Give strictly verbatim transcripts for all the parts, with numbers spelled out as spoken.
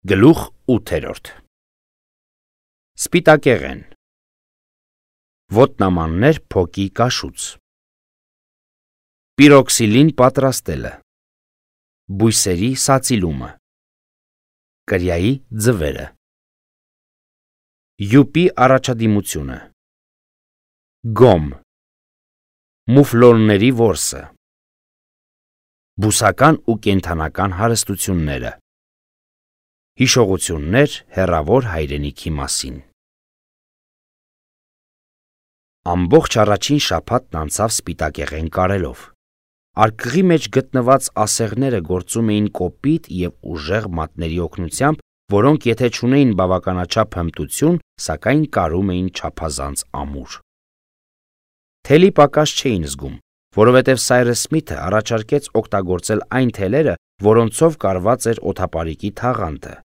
Գլուխ ութերորդ Սպիտակեղեն Ոտնամաններ փոկի կաշուց Պիրոքսիլին պատրաստելը Բույսերի սացիլումը Կրիայի ձվերը Յուպի առաջադիմությունը Գոմ Մուֆլոնների որսը Բուսական ու կենդանական հարստությունները Հիշողություններ հեռավոր հայրենիքի մասին Ամբողջ առաջին շաբաթն անցավ սպիտակեղեն կարելով։ Արկղի մեջ գտնված ասեղները գործում էին կոպիտ և ուժեղ մատների օգնությամբ, որոնք եթե չունեին բավականաչափ հմտություն, սակայն կարում էին չափազանց ամուր։ Թելի պակաս չէին զգում, որովհետև Սայրս Սմիթը առաջարկեց օգտագործել այն թելերը, որոնցով կարված էր օդապարիկի թաղանթը։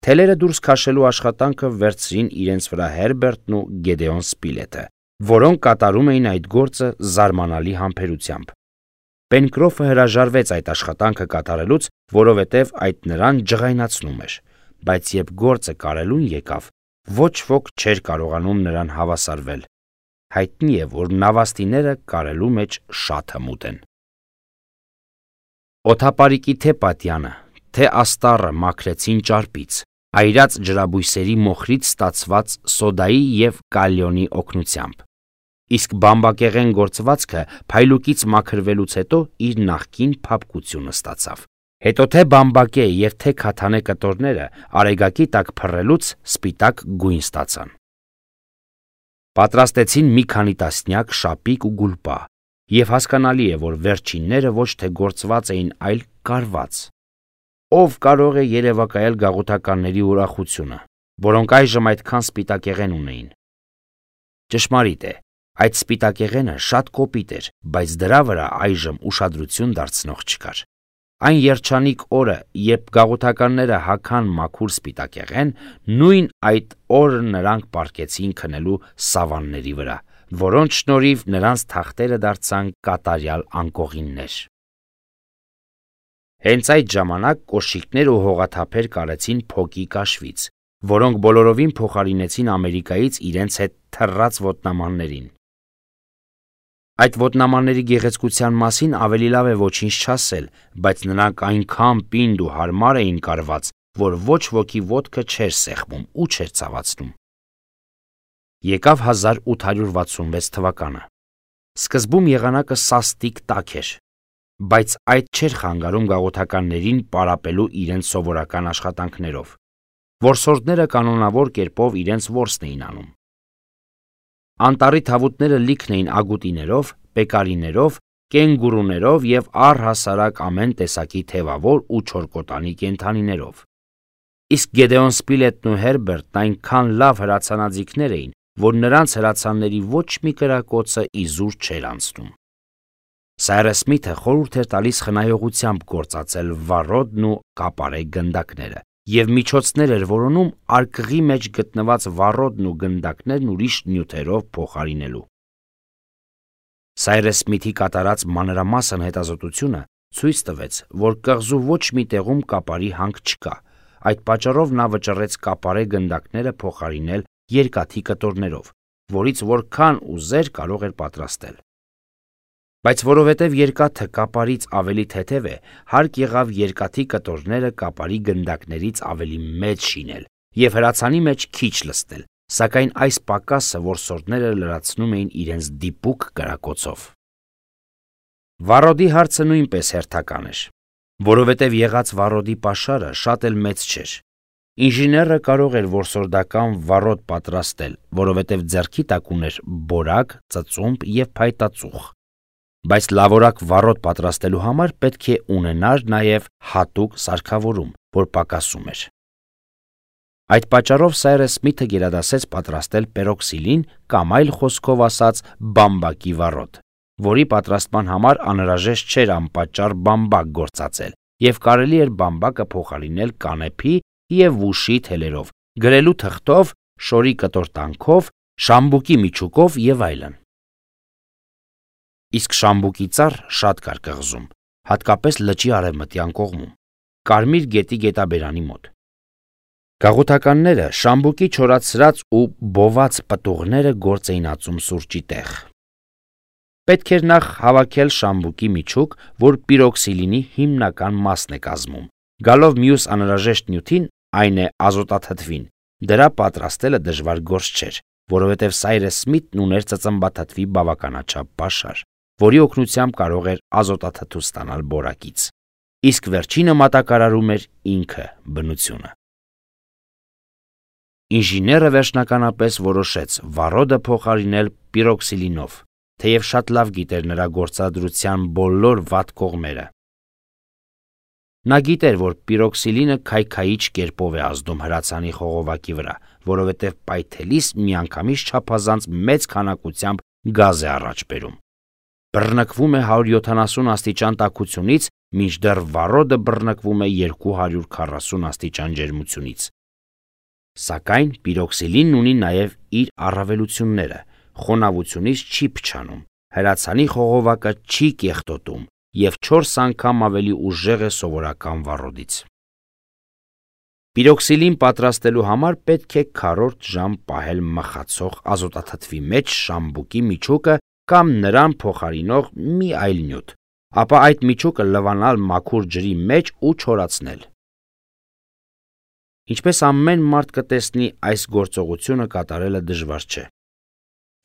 Թելերը դուրս քաշելու աշխատանքը վերցրին իրենց վրա Հերբերտն ու Գեդեոն Սպիլետը, որոնք կատարում էին այդ գործը զարմանալի համբերությամբ։ Պենկրոֆը հրաժարվեց այդ աշխատանքը կատարելուց, որովհետև այդ նրան ջղայնացնում էր, բայց երբ գործը կարելուն եկավ, ոչ ոք չէր կարողանում նրան հավասարվել։ Հայտնի է, որ նավաստիները կարելու մեջ շատ հմուտ են։ Օդապարիկի թե պատյանը, թե աստառը մաքրեցին ճարպից, այրած ջրաբույսերի մոխրից ստացված սոդայի և կալիոնի օգնությամբ։ Իսկ բամբակեղեն գործվածքը փայլուկից մաքրվելուց հետո իր նախկին փափկությունը ստացավ։ Հետո թե բամբակե և թե քաթանե կտորները արեգակի տակ փռելուց սպիտակ գույն ստացան։ Պատրաստեցին մի քանի տասնյակ շապիկ ու գուլպա, և հասկանալի է, որ վերջինները ոչ թե գործված էին, այլ կարված։ Ով կարող է երևակայել գաղութականների ուրախությունը, որոնք այժմ այդքան սպիտակեղեն ունեին։ Ճշմարիտ է, այդ սպիտակեղենը շատ կոպիտ էր, բայց դրա վրա այժմ ուշադրություն դարձնող չկար։ Այն երջանիկ օրը, երբ գաղութականները հագան մաքուր սպիտակեղեն, նույն այդ օրը նրանք պառկեցին քնելու սավանների վրա, որոնց շնորհիվ նրանց թախտերը դարձան կատարյալ անկողիններ։ Հենց այդ ժամանակ կոշիկներ ու հողաթափեր կարեցին փոկի կաշվից, որոնք բոլորովին փոխարինեցին Ամերիկայից իրենց հետ թռած ոտնամաններին։ Այդ ոտնամանների գեղեցկության մասին ավելի լավ է ոչինչ չասել, բայց նրանք այնքան պինդ ու հարմար էին կարված, որ ոչ ոքի ոտքը չէր սեղմում ու չէր ցավացնում։ Եկավ հազար ութ հարյուր վաթսունվեց թվականը։ Սկզբում եղանակը սաստիկ տաք էր, բայց այդ չէր խանգարում գաղութականներին պարապելու իրենց սովորական աշխատանքներով։ Որսորդները կանոնավոր կերպով իրենց որսն էին անում։ Անտառի թավուտները լիքն էին ագուտիներով, պեկարիներով, կենգուրուներով և առհասարակ ամեն տեսակի թևավոր ու չորկոտանի կենդանիներով։ Իսկ Գեդեոն Սպիլետն ու Հերբերտն այնքան լավ հրացանաձիգներ էին, որ նրանց հրացանների ոչ մի կրակոցը իզուր չէր անցնում։ Սայրս Սմիթը խորհուրդ էր տալիս խնայողությամբ գործածել վառոդն ու կապարե գնդակները և միջոցներ էր որոնում արկղի մեջ գտնված վառոդն ու գնդակներն ուրիշ նյութերով փոխարինելու։ Սայրս Սմիթի կատարած մանրամասն հետազոտությունը ցույց տվեց, որ կղզու ոչ մի տեղում կապարի հանք չկա, այդ պատճառով նա վճռեց կապարե գնդակները փոխարինել երկաթի կտորներով, որից որքան ուզեր կարող էր պատրաստել։ Բայց որովհետև երկաթը կապարից ավելի թեթև է, հարկ եղավ երկաթի կտորները կապարի գնդակներից ավելի մեծ շինել և հրացանի մեջ քիչ լցնել, սակայն այս պակասը որսորդները լրացնում էին իրենց դիպուկ կրակոցով։ Վառոդի հարցը նույնպես հերթական էր, որովհետև եղած վառոդի պաշարը շատ էլ մեծ չէր։ Ինժեները կարող էր որսորդական վառոդ պատրաստել, որովհետև ձեռքի տակ ուներ բորակ, ծծումբ և փայտածուխ, բայց լավորակ վառոդ պատրաստելու համար պետք է ունենար նաև հատուկ սարքավորում, որ պակասում էր։ Այդ պատճառով Սայրս Սմիթը գերադասեց պատրաստել պերոքսիլին կամ այլ խոսքով ասած բամբակի վառոդ, որի պատրաստման համար անհրաժեշտ չէր անպատճառ բամբակ գործածել և կարելի էր բամբակը փոխարինել կանեփի և վուշի թելերով, գրելու թղթով, շորի կտոր-տանքով, շամբուկի միջուկով և այլն։ Իսկ շամբուկի ծառ շատ կար կղզում, հատկապես լճի արևմտյան կողմում, Կարմիր գետի գետաբերանի մոտ։ Գաղութականները շամբուկի չորացրած ու բոված պտուղները գործ էին ածում սուրճի տեղ։ Պետք էր նախ հավաքել շամբուկի միջուկ, որ պիրոքսիլինի հիմնական մասն է կազմում։ Գալով մյուս անհրաժեշտ նյութին, այն է ազոտաթթվին, դրա պատրաստելը դժվար գործ չէր, որովհետև Սայրես Սմիթն ուներ ծծմբաթթվի բավականաչափ պաշար, որի օգնությամբ կարող էր ազոտաթթու ստանալ բորակից, իսկ վերջինը մատակարարում էր ինքը բնությունը։ Ինժեները վերջնականապես որոշեց վառոդը փոխարինել պիրոքսիլինով, թեև շատ լավ գիտեր նրա գործադրության բոլոր վատ կողմերը։ Նա գիտեր, որ պիրոքսիլինը քայքայիչ կերպով է ազդում հրացանի խողովակի վրա, որովհետև պայթելիս միանգամից չափազանց մեծ քանակությամբ գազ է առաջ բերում։ Բռնկվում է հարյուր յոթանասուն աստիճան տաքությունից, մինչդեռ վառոդը բռնկվում է երկու հարյուր քառասուն աստիճան ջերմությունից։ Սակայն պիրոքսիլինն ունի նաև իր առավելությունները, խոնավությունից չի փչանում, հրացանի խողովակը չի կեղտոտում և չորս անգամ ավելի ուժեղ է սովորական վառոդից։ Պիրոքսիլին պատրաստելու համար պետք է քառորդ ժամ պահել մխացող ազոտաթթվի մեջ շամբուկի միջուկը կամ նրան փոխարինող մի այլ նյութ, ապա այդ միջուկը լվանալ մաքուր ջրի մեջ ու չորացնել։ Ինչպես ամեն մարդ կտեսնի, այս գործողությունը կատարելը դժվար չէ։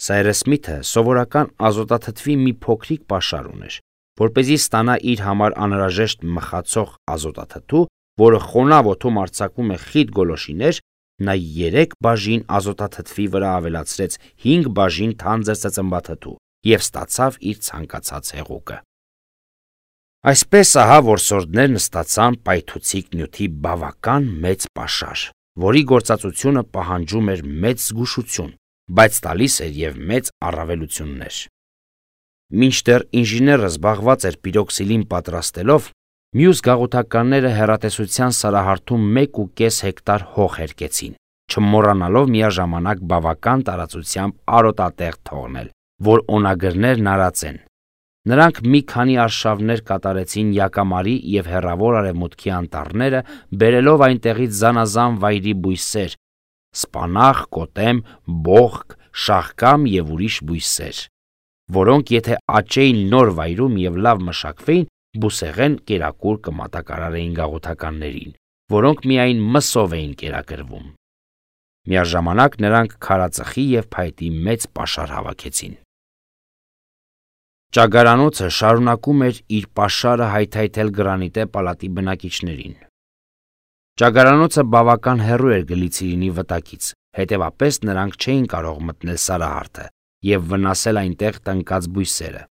Սայրես Սմիթը սովորական ազոտաթթվի մի փոքրիկ պաշար ուներ, որպեսզի ստանա իր համար անհրաժեշտ մխացող ազոտաթթու, որը խոնավ օդում արձակում է խիտ գոլորշիներ, նա երեք բաժին ազոտաթթվի վրա ավելացրեց հինգ բաժին թանձր ծծմբաթթու և ստացավ իր ցանկացած հեղուկը։ Այսպես ահա որսորդներն ստացան պայթուցիկ նյութի բավական մեծ պաշար, որի գործածությունը պահանջում էր մեծ զգուշություն, բայց տալիս էր և մեծ առավելություններ։ Մինչդեռ ինժեները զբաղված էր պիրոքսիլին պատրաստելով, մյուս գաղութականները հեռատեսության սարահարթում մեկ ու կես հեկտար հող հերկեցին, չմոռանալով միաժամանակ բավական տարածությամբ արոտատեղ թողնել, որ օնագրներն արածեն։ Նրանք մի քանի արշավներ կատարեցին Յակամարի և Հեռավոր Արևմուտքի անտառները, բերելով այնտեղից զանազան վայրի բույսեր՝ սպանաղ, կոտեմ, բոխկ, շաղկամ և ուրիշ բույսեր, որոնք եթե աճեին նոր վայրում և լավ մշակվեին, բուսեղեն կերակուր կմատակարարեին գաղութականներին, որոնք միայն մսով էին կերակրվում։ Միաժամանակ նրանք քարածխի և փայտի մեծ պաշար հավաքեցին։ Ճագարանոցը շարունակում էր իր պաշարը հայթայթել գրանիտե պալատի բնակիչներին։ Ճագարանոցը բավական հեռու էր գլիցերինի վտակից, հետևապես նրանք չէին կարող մտնել սարահարթը և վնասել այնտեղ տնկած բույսերը։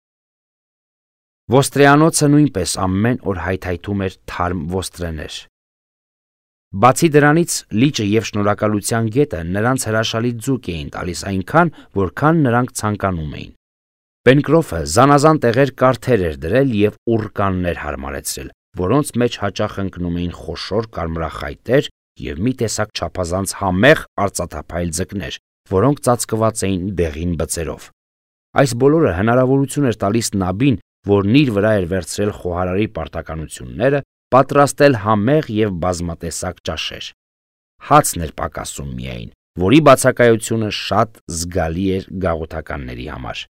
Ոստրեանոցը նույնպես ամեն օր հայթայթում էր թարմ ոստրեներ։ Բացի դրանից, լիճը և շնորհակալության գետը նրանց հրաշալի ձուկ էին տալիս այնքան, որքան նրանք ցանկանում էին։ Պենկրոֆը զանազան տեղեր կարթեր էր դրել և ուռկաններ հարմարեցրել, որոնց մեջ հաճախ ընկնում էին խոշոր կարմրախայտեր և մի տեսակ չափազանց համեղ արծաթափայլ ձկներ, որոնք ծածկված էին դեղին բծերով։ Այս բոլորը հնարավորություն էր տալիս Նաբին, որն իր վրա էր վերցրել խոհարարի պարտականությունները, պատրաստել համեղ և բազմատեսակ ճաշեր։ Հացն էր պակասում միայն, որի բացակայությունը շատ զգալի էր գաղութականների համար,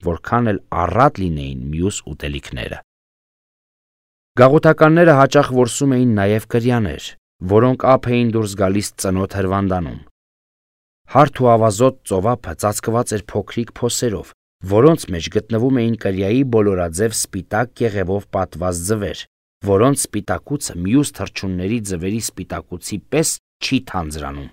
որքան էլ առատ լինեին մյուս ուտելիքները։ Գաղութականները հաճախ որսում էին նաև կրյաներ, որոնք ափ էին դուրս գալիս ծնոտ հրվանդանում։ Հարթ ու ավազոտ ծովափը ծածկված էր փոքրիկ փոսերով, որոնց մեջ գտնվում էին կրյայի բոլորաձև սպիտակ կեղևով պատված ձվեր, որոնց սպիտակուցը մյուս թռչունների ձվերի սպիտակուցի պես չի թանձրանում։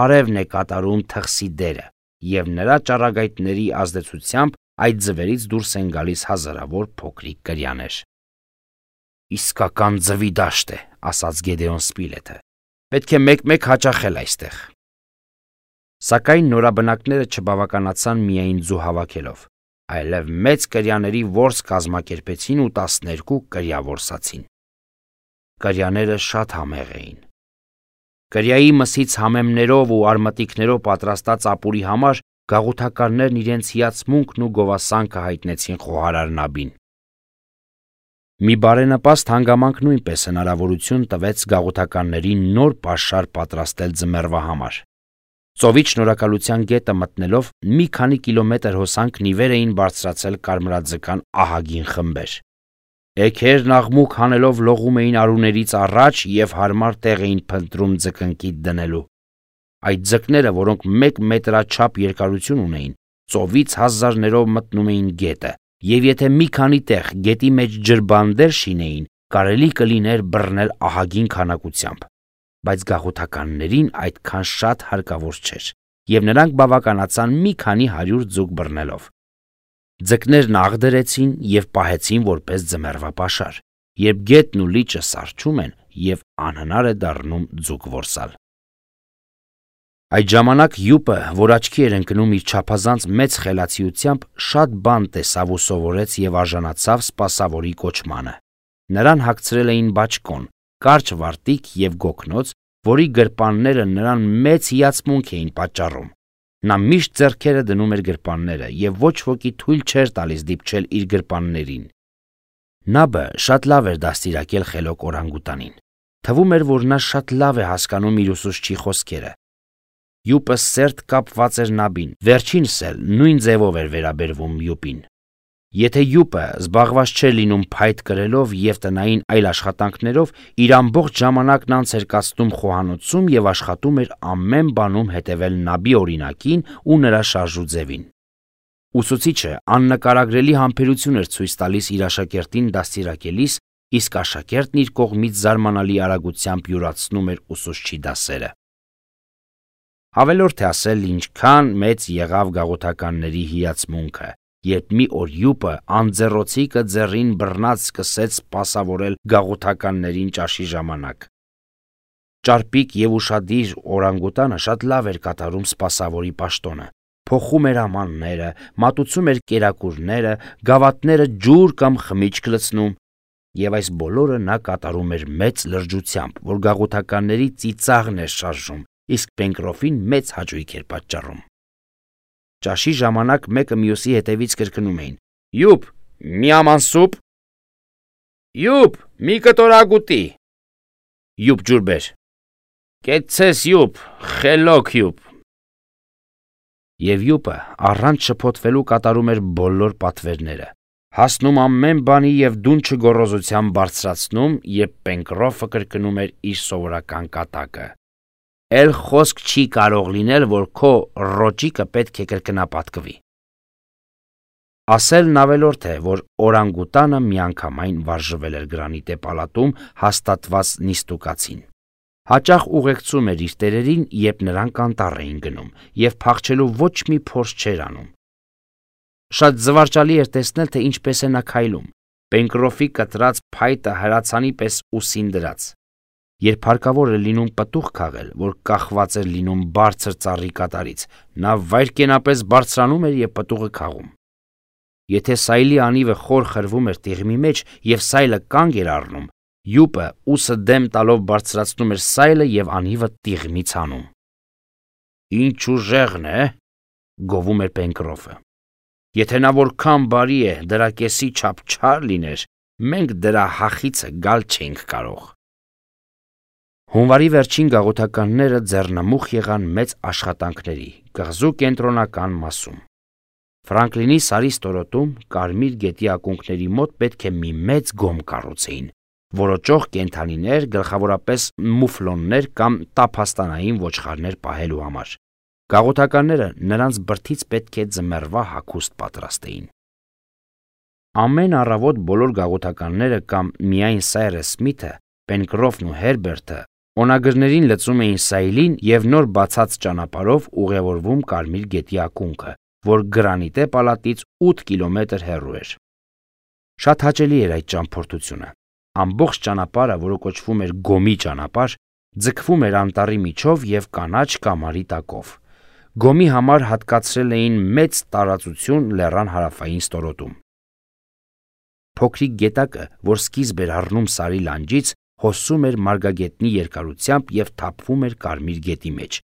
Արևն է կատարում թխսի դերը, և նրա ճառագայթների ազդեցությամբ այդ ձվերից դուրս են գալիս հազարավոր փոքրիկ կրյաներ։ «Իսկական ձվի դաշտ է», ասաց Գեդեոն Սպիլեթը։ «Պետք է մեկ-մեկ հաճախել այստեղ»։ Սակայն նորաբնակները չբավականացան միայն ձու հավաքելով, այլև մեծ կրյաների որս կազմակերպեցին ու տասներկու կրյա որսացին։ Կրյաները շատ համեղ էին։ Կրյայի մսից համեմներով ու արմատիկներով պատրաստած ապուրի համար գաղութականներն իրենց հիացմունքն ու գովասանքը հայտնեցին խոհարար Նաբին։ Մի բարենպաստ հանգամանք նույնպես հնարավորություն տվեց գաղութականներին նոր պաշար պատրաստել ձմեռվա համար։ Ծովից Շնորհակալության գետը մտնելով մի քանի կիլոմետր հոսանքն ի վեր էին բարձրացել կարմրաձկան ահագին խմբեր։ Էգերն աղմուկ հանելով լողում էին արուներից առաջ եւ հարմար տեղ էին փնտրում ձկնկիդ դնելու։ Այդ ձկները, որոնք մեկ մետրաչափ երկարություն ունեին, ծովից հազարներով մտնում էին գետը, եւ եթե մի քանի տեղ գետի մեջ ջրբանդեր շինեին, կարելի կլիներ բռնել ահագին քանակությամբ, բայց գաղութականներին այդքան շատ հարկավոր չէր, եւ նրանք բավականացան մի քանի հարյուր ձուկ բռնելով։ Ձկներն աղ դրեցին եւ պահեցին որպես ձմեռվա պաշար, երբ գետն ու լիճը սառչում են եւ անհնար է դառնում ձուկ որսալ։ Այդ ժամանակ Յուպը, որ աչքի էր ընկնում իր չափազանց մեծ խելացիությամբ, շատ բան տեսավ ու սովորեց եւ արժանացավ սպասավորի կոչմանը։ Նրան հագցրել էին բաճկոն, կարճ վարտիք եւ գոգնոց, որի գրպանները նրան մեծ հիացմունք էին պատճառում։ Նա միշտ ձեռքերը դնում էր գրպանները եւ ոչ ոքի թույլ չէր տալիս դիպչել իր գրպաններին։ Նաբը շատ լավ էր դաստիարակել խելոք օրանգուտանին։ Թվում էր, որ նա շատ լավ է հասկանում իր ուսուցչի խոսքերը։ Յուպը սերտ կապված էր Նաբին, վերջինս էլ նույն ձևով էր վերաբերվում Յուպին։ Եթե Յուպը զբաղված չէր լինում փայտ կրելով եւ տնային այլ աշխատանքներով, իր ամբողջ ժամանակն անց էր կացնում խոհանոցում եւ աշխատում էր ամեն բանում հետևել Նաբի օրինակին ու նրա շարժուձևին։ Ուսուցիչը աննկարագրելի համբերություն էր ցույց տալիս իր աշակերտին դաստիարակելիս, իսկ աշակերտն իր կողմից զարմանալի արագությամբ յուրացնում էր ուսուցչի դասերը։ Ավելորդ է ասել, ինչքան մեծ եղավ գաղութականների հիացմունքը, երբ մի օր Յուպը անձեռոցիկը ձեռին բռնած սկսեց սպասավորել գաղութականներին ճաշի ժամանակ։ Ճարպիկ եւ ուշադիր օրանգուտանը շատ լավ էր կատարում սպասավորի պաշտոնը, փոխում էր ամանները, մատուցում էր կերակուրները, գավաթները ջուր կամ խմիչք լցնում, եւ այս բոլորը նա կատարում էր մեծ լրջությամբ, որ գաղութականների ծիծաղն էր շարժում, իսկ Պենկրոֆին մեծ հաճույք էր պատճառում։ Ճաշի ժամանակ մեկը մյուսի հետևից կրկնում էին. «Յուպ, մի աման սուպ»։ «Յուպ, մի կտոր ագուտի»։ «Յուպ ջուր բեր»։ «Կեցցես Յուպ, խելոք Յուպ»։ Եվ Յուպը առանց շփոթվելու կատարում էր բոլոր պատվերները, հասնում ամեն բանի եւ դունչը գոռոզությամբ բարձրացնում, երբ Պենկրոֆը կրկնում էր իր սովորական կատակը. «Էլ խոսք չի կարող լինել, որ քո ռոճիկը պետք է կրկնապատկվի»։ Ասելն ավելորդ է, որ օրանգուտանը միանգամայն վարժվել էր գրանիտե պալատում հաստատված նիստուկացին։ Հաճախ ուղեկցում էր իր տերերին, երբ նրանք անտառ էին գնում, եւ փախչելու ոչ մի փորձ չէր անում։ Շատ զվարճալի էր տեսնել, թե ինչպես է նա քայլում, Պենկրոֆի կտրած փայտը հրացանի պես ուսին դրած։ Երբ հարկավոր էր լինում պտուղ քաղել, որ կախված էր լինում բարձր ծառի կատարից, նա վայրկենապես բարձրանում էր եւ պտուղը քաղում։ Եթե սայլի անիվը խոր խրվում էր տիղմի մեջ եւ սայլը կանգ էր առնում, Յուպը ուսը դեմ տալով բարձրացնում էր սայլը եւ անիվը տիղմից հանում։ «Ինչ ուժեղն է», գովում էր Պենկրոֆը։ «Եթե նա որքան բարի է, դրա կեսի չափ չար լիներ, մենք դրա հախիցը գալ չենք կարող»։ Հունվարի վերջին գաղութականները ձեռնամուխ եղան մեծ աշխատանքների կղզու կենտրոնական մասում։ Ֆրանկլինի սարի ստորոտում Կարմիր գետի ակունքների մոտ պետք է մի մեծ գոմ կառուցեին, որոճող կենդանիներ, գլխավորապես մուֆլոններ կամ տափաստանային ոչխարներ պահելու համար։ Գաղութականները նրանց բրդից պետք է ձմեռվա հագուստ պատրաստեին։ Ամեն առավոտ բոլոր գաղութականները կամ միայն Սայրես Սմիթը, Պենկրոֆն ու Հերբերտը օնագրներին լցում էին սայլին եւ նոր բացած ճանապարհով ուղևորվում Կարմիր գետի ակունքը, որ գրանիտե պալատից ութ կիլոմետր հեռու էր։ Շատ հաճելի էր այդ ճամփորդությունը։ Ամբողջ ճանապարհը, որը կոչվում էր Գոմի ճանապարհ, ձգվում էր անտառի միջով եւ կանաչ կամարի տակով։ Գոմի համար հատկացրել էին մեծ տարածություն լեռան հարավային ստորոտում։ Փոքրիկ գետակը, որ սկիզբ էր առնում սարի լանջից, հոսում էր մարգագետնի երկարությամբ եւ թափվում էր Կարմիր գետի մեջ։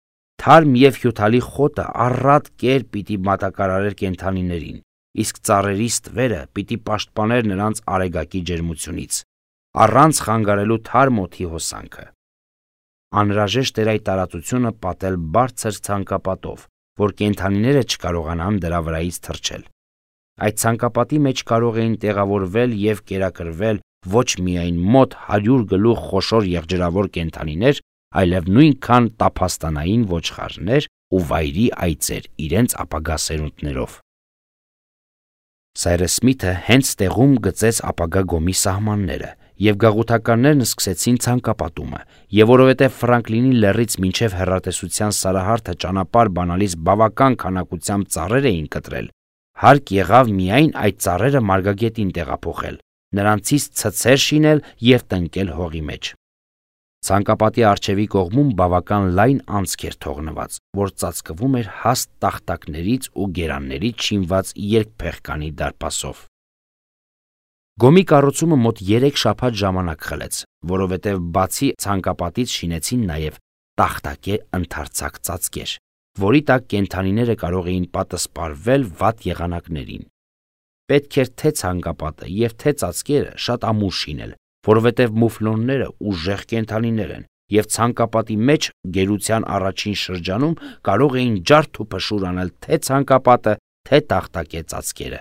Թարմ եւ հյութալի խոտը առատ կեր պիտի մատակարարեր կենդանիներին, իսկ ծառերի ստվերը պիտի պաշտպաներ նրանց արեգակի ջերմությունից, առանց խանգարելու թարմ օդի հոսանքը։ Անհրաժեշտ էր այդ տարածությունը պատել բարձր ցանկապատով, որ կենդանիները չկարողանան դրա վրայից թռչել։ Այդ ցանկապատի մեջ կարող էին տեղավորվել և կերակրվել ոչ միայն մոտ հարյուր գլուխ խոշոր եղջերավոր կենդանիներ, այլև նույնքան տափաստանային ոչխարներ ու վայրի այծեր իրենց ապագա սերունդներով։ Սայրս Սմիթը հենց տեղում գծեց ապագա գոմի սահմանները, և գաղութականներն սկսեցին ցանկապատումը, և որովհետև Ֆրանկլինի լեռից մինչև հեռատեսության Սարահարթը ճանապարհ բանալիս բավական քանակությամբ ծառեր էին կտրել, հարկ եղավ միայն այդ ծառերը մարգագետին տեղափոխել, նրանցից ցցեր շինել և տնկել հողի մեջ։ Ցանկապատի առջևի կողմում բավական լայն անցք էր թողնված, որ ծածկվում էր հաստ տախտակներից ու գերաններից շինված երկփեղկանի դարպասով։ Գոմի կառուցումը մոտ երեք շաբաթ ժամանակ խլեց, որովհետև բացի ցանկապատից շինեցին նաև տախտակե ընդարձակ ծածկեր, որի տակ կենդանիները կարող էին պատսպարվել վատ եղանակներին։ Պետք էր թե ցանկապատը և թե ծածկերը շատ ամուր շինել, որովհետև մուֆլոնները ուժեղ կենդանիներ են, և ցանկապատի մեջ գերության առաջին շրջանում կարող էին ջարդ ու փշուր անել թե ցանկապատը, թե տախտակե ծածկերը։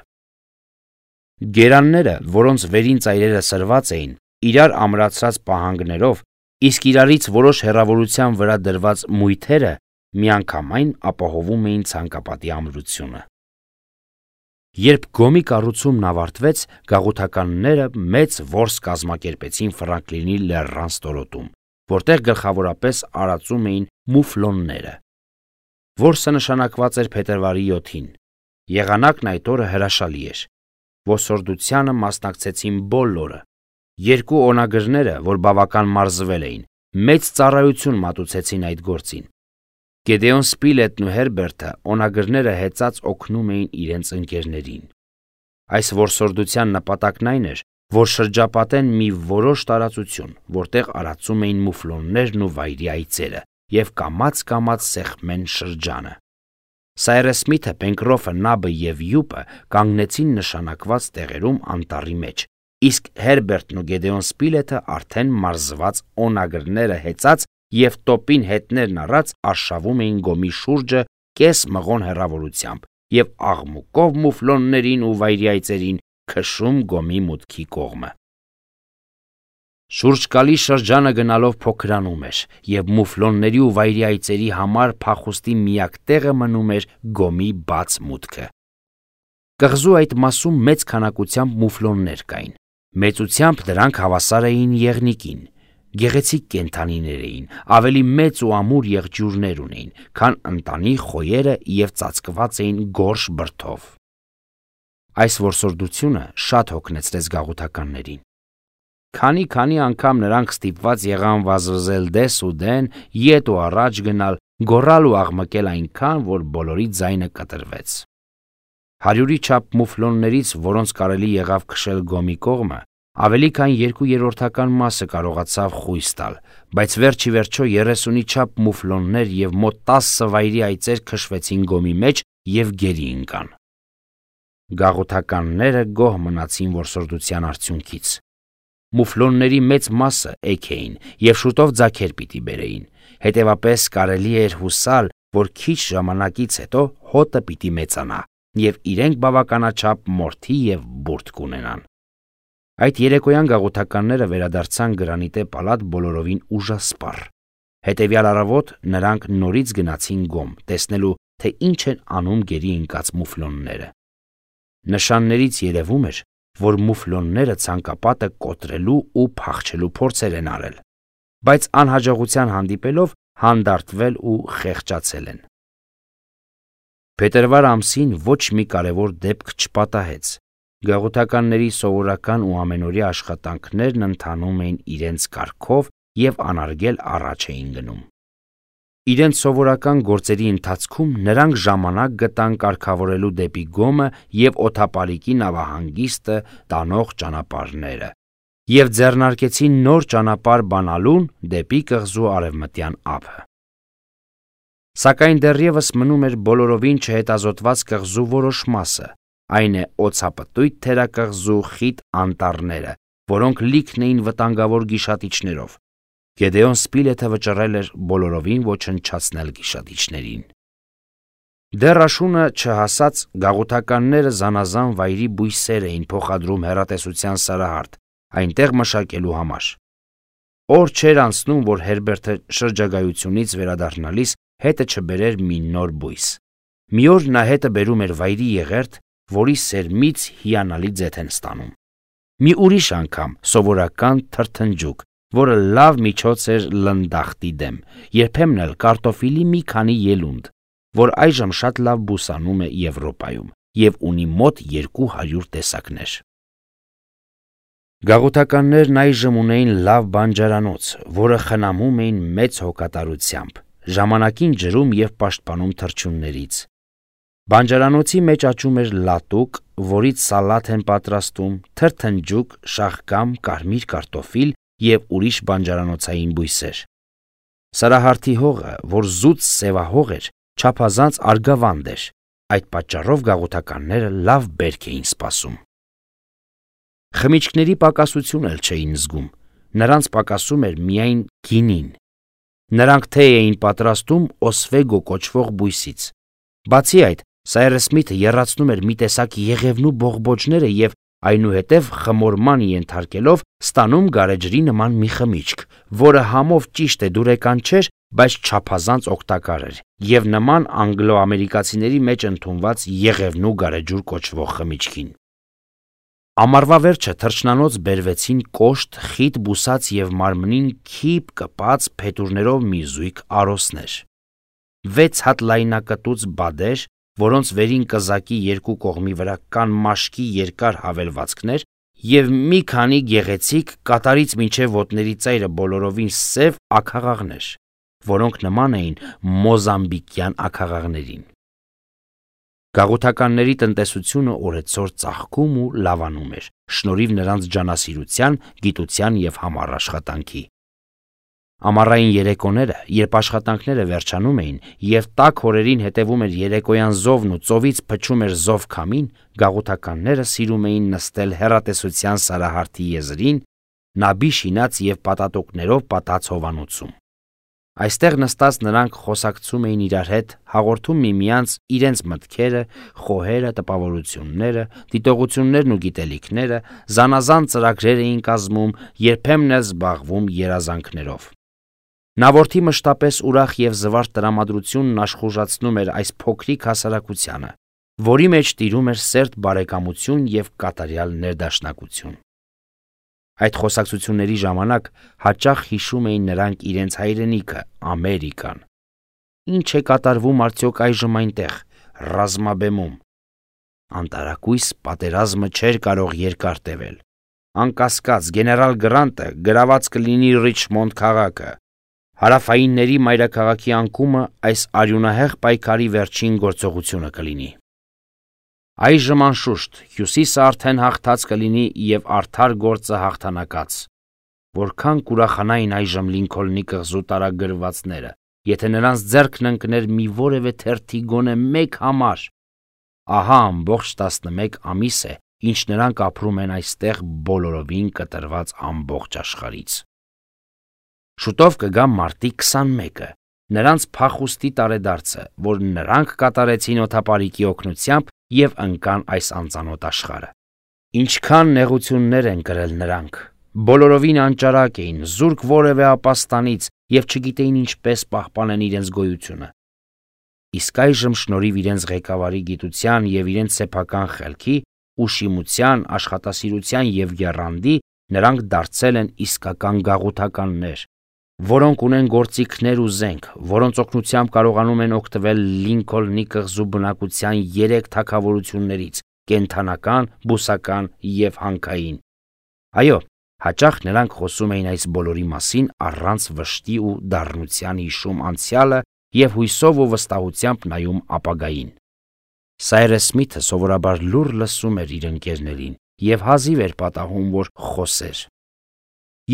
Գերանները, որոնց վերին ծայրերը սրված էին, իրար ամրացրած պահանգներով, իսկ իրարից որոշ հեռավորության վրա դրված մույթերը միանգամայն ապահովում էին ցանկապատի ամրությունը։ Երբ գոմի կառուցումն ավարտվեց, գաղութականները մեծ որս կազմակերպեցին Ֆրանկլինի լեռան ստորոտում, որտեղ գլխավորապես արածում էին մուֆլոնները։ Որսը նշանակված էր փետրվարի յոթին։ Եղանակն այդ օրը հրաշալի էր։ Ոսորդությանը մասնակցեցին բոլորը։ Երկու օնագրները, որ բավական մարզվել էին, մեծ ծառայություն մատուցեցին այդ գործին։ Գեդեոն Սպիլետն ու Հերբերտը օնագրները հեծած օգնում էին իրենց ընկերներին։ Այս որսորդության նպատակն այն էր, որ շրջապատեն մի որոշ տարածություն, որտեղ արածում էին մուֆլոններն ու վայրի այծերը, և կամաց-կամաց սեղմեն շրջանը։ Սայրս Սմիթը, Պենկրոֆը, Նաբը և Յուպը կանգնեցին նշանակված տեղերում անտառի մեջ, իսկ Հերբերտն ու Գեդեոն Սպիլետը արդեն մարզված օնագրները հեծած և տոպին հետներն առած արշավում էին գոմի շուրջը կես մղոն հեռավորությամբ և աղմուկով մուֆլոններին ու վայրի այծերին քշում գոմի մուտքի կողմը։ Շուրջկալի շրջանը գնալով փոքրանում էր, և մուֆլոնների ու վայրի այծերի համար փախուստի միակ տեղը մնում էր գոմի բաց մուտքը։ Կղզու այդ մասում մեծ քանակությամբ մուֆլոններ կային։ Մեծությամբ դրանք հավասար էին եղնիկին։ Գեղեցիկ կենդանիներ էին, ավելի մեծ ու ամուր եղջյուրներ ունեին, քան ընտանի խոյերը և ծածկված էին գորշ բրդով։ Այս որսորդությունը շատ հոգնեցրեց գաղութականներին։ Քանի-քանի անգամ նրանք ստիպված եղան վազվզել դես ու դեն, ետ ու առաջ գնալ, գոռալ ու աղմկել այնքան, որ բոլորի ձայնը կտրվեց։ Հարյուրի չափ մուֆլոններից, որոնց կարելի եղավ քշել գոմի կողմը, ավելի քան երկու երրորդական մասը կարողացավ խույս տալ, բայց վերջ ի վերջո երեսունի չափ մուֆլոններ և մոտ տասը վայրի այծեր քշվեցին գոմի մեջ և գերի ընկան։ Գաղութականները գոհ մնացին որսորդության արդյունքից։ Մուֆլոնների մեծ մասը էգ էին և շուտով ձագեր պիտի բերեին, հետևապես կարելի էր հուսալ, որ քիչ ժամանակից հետո հոտը պիտի մեծանա, և իրենք բավականաչափ մորթի և բուրդ կունենան։ Այդ երեկոյան գաղութականները վերադարձան Գրանիտե պալատ բոլորովին ուժասպառ։ Հետևյալ առավոտ նրանք նորից գնացին գոմ, տեսնելու, թե ինչ են անում գերի ընկած մուֆլոնները։ Նշաններից երևում էր, որ մուֆլոնները ցանկապատը կոտրելու ու փախչելու փորձեր են արել, բայց անհաջողության հանդիպելով հանդարտվել ու խեղճացել են։ Փետրվար ամսին ոչ մի կարևոր դեպք չպատահեց։ Գաղութականների սովորական ու ամենօրյա աշխատանքներն ընթանում էին իրենց կարգով և անարգել առաջ էին գնում։ Իրենց սովորական գործերի ընթացքում նրանք ժամանակ գտան կարգավորելու դեպի գոմը և օդապարիկի նավահանգիստը տանող ճանապարհները և ձեռնարկեցին նոր ճանապարհ բանալուն դեպի կղզու արևմտյան ափը։ Սակայն դեռևս մնում էր բոլորովին չհետազոտված կղզու որոշ մասը, այն է օձապտույտ թերակղզու խիտ անտառները, որոնք լիքն էին վտանգավոր գիշատիչներով։ Գեդեոն Սպիլեթը վճռել էր բոլորովին ոչնչացնել գիշատիչներին։ Դեռ աշունը չհասած գաղութականները զանազան վայրի բույսեր էին փոխադրում հեռատեսության սարահարթ, այնտեղ մշակելու համար։ Օր չէր անցնում, որ Հերբերտը շրջագայությունից վերադառնալիս հետը չբերեր մի նոր բույս։ Մի օր նա հետը բերում էր վայրի եղերթ, որի սերմից հիանալի ձեթ են ստանում։ Մի ուրիշ անգամ սովորական թրթնջուկ, որը լավ միջոց էր լնդախտի դեմ, երբեմն էլ կարտոֆիլի մի քանի ելունդ, որ այժմ շատ լավ բուսանում է Եվրոպայում և ունի մոտ երկու հարյուր տեսակներ։ Գաղութականներն այժմ ունեին լավ բանջարանոց, որը խնամում էին մեծ հոգատարությամբ, ժամանակին ջրում և պաշտպանում թռչուններից։ Բանջարանոցի մեջ աճում էր լատուկ, որից սալաթ են պատրաստում, թրթնջուկ, շաղկամ, կարմիր կարտոֆիլ և ուրիշ բանջարանոցային բույսեր։ Սարահարթի հողը, որ զուտ սևահող էր, չափազանց արգավանդ էր, այդ պատճառով գաղութականները լավ բերք էին սպասում։ Խմիչքների պակասություն էլ չէին զգում, նրանց պակասում էր միայն գինին։ Նրանք թե էին պատրաստում օսվեգո կոչվող բույսից։ Բացի այդ, Սայրս Սմիթը եռացնում էր մի տեսակ եղևնու բողբոջները և այնուհետև խմորման ենթարկելով ստանում գարեջրի նման մի խմիչք, որը համով ճիշտ է դուրեկան չէր, բայց չափազանց օգտակար էր և նման անգլո-ամերիկացիների մեջ ընդունված եղևնու գարեջուր կոչվող խմիչքին։ Ամառվա վերջը թռչնանոց բերվեցին կոշտ, խիտ բուսած և մարմնին քիպ կպած փետուրներով մի զույգ արոսներ։ Վեց հատ լայնակտուց բադեր, որոնց վերին կզակի երկու կողմի վրա կան մաշկի երկար հավելվածքներ և մի քանի գեղեցիկ կատարից մինչև ոտների ծայրը բոլորովին սև աքաղաղներ, որոնք նման էին մոզամբիկյան աքաղաղներին։ Գաղութականների տնտեսությունը օրեցօր ծաղկում ու լավանում էր, շնորհիվ նրանց ջանասիրության, գիտության և համառ աշխատանքի։ Ամառային երեկոները, երբ աշխատանքները վերջանում էին և տաք օրերին հետևում էր երեկոյան զովն ու ծովից փչում էր զով քամին, գաղութականները սիրում էին նստել հեռատեսության սարահարթի եզրին, նաբի շինած և պատատոկներով պատած հովանոցում։ Այստեղ նստած նրանք խոսակցում էին իրար հետ, հաղորդում միմյանց իրենց մտքերը, խոհերը, տպավորությունները, դիտողություններն ու գիտելիքները, զանազան ծրագրեր էին կազմում, երբեմն էլ զբաղվում երազանքներով։ Նավորդի մշտապես ուրախ և զվարթ տրամադրությունն աշխուժացնում էր այս փոքրիկ հասարակությանը, որի մեջ տիրում էր սերտ բարեկամություն և կատարյալ ներդաշնակություն։ Այդ խոսակցությունների ժամանակ հաճախ հիշում էին նրանք իրենց հայրենիքը, Ամերիկան։ Ինչ է կատարվում արդյոք այժմ այնտեղ, ռազմաբեմում։ Անտարակույս պատերազմը չէր կարող երկար տևել։ Անկասկած, գեներալ Գրանտը գրաված կլինի Ռիչմոնդ քաղաքը։ Հարավայինների մայրաքաղաքի անկումը այս արյունահեղ պայքարի վերջին գործողությունը կլինի։ Այժմ անշուշտ հյուսիսը արդեն հաղթած կլինի և արդար գործը հաղթանակած։ Որքան կուրախանային այժմ Լինքոլնի կղզու տարագրվածները, եթե նրանց ձեռքն ընկներ մի որևէ թերթի գոնե մեկ համար։ Ահա ամբողջ տասնմեկ ամիս է, ինչ նրանք ապրում են այստեղ բոլորովին կտրված ամբողջ աշխարհից։ Շուտով կգա մարտի քսանմեկը, նրանց փախուստի տարեդարձը, որ նրանք կատարեցին օդապարիկի օգնությամբ և ընկան այս անծանոթ աշխարհը։ Ինչքան նեղություններ են կրել նրանք, բոլորովին անճարակ էին, զուրկ որևէ ապաստանից և չգիտեին ինչպես պահպանեն իրենց գոյությունը։ Իսկ այժմ շնորհիվ իրենց ղեկավարի գիտության և իրենց սեփական խելքի, ուշիմության, աշխատասիրության և եռանդի նրանք դարձել են իսկական գաղութականներ, որոնք ունեն գործիքներ ու զենք, որոնց օգնությամբ կարողանում են օգտվել Լինքոլնի կղզու բնակության երեք թագավորություններից՝ կենդանական, բուսական և հանքային։ Այո, հաճախ նրանք խոսում էին այս բոլորի մասին առանց վշտի ու դառնության հիշում անցյալը և հույսով ու վստահությամբ նայում ապագային։ Սայրս Սմիթը սովորաբար լուռ լսում էր իր ընկերներին և հազիվ էր պատահում, որ խոսեր։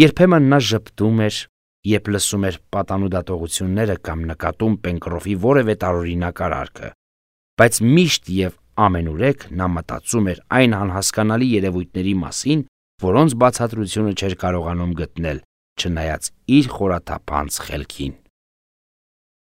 Երբեմն նա ժպտում էր, երբ լսում էր պատանու դատողությունները կամ նկատում Պենկրոֆի որևէ տարօրինակ արարքը, բայց միշտ և Ամենուրեք նա մտածում էր այն անհասկանալի երևույթների մասին, որոնց բացատրությունը չէր կարողանում գտնել, չնայած իր խորաթափանց խելքին։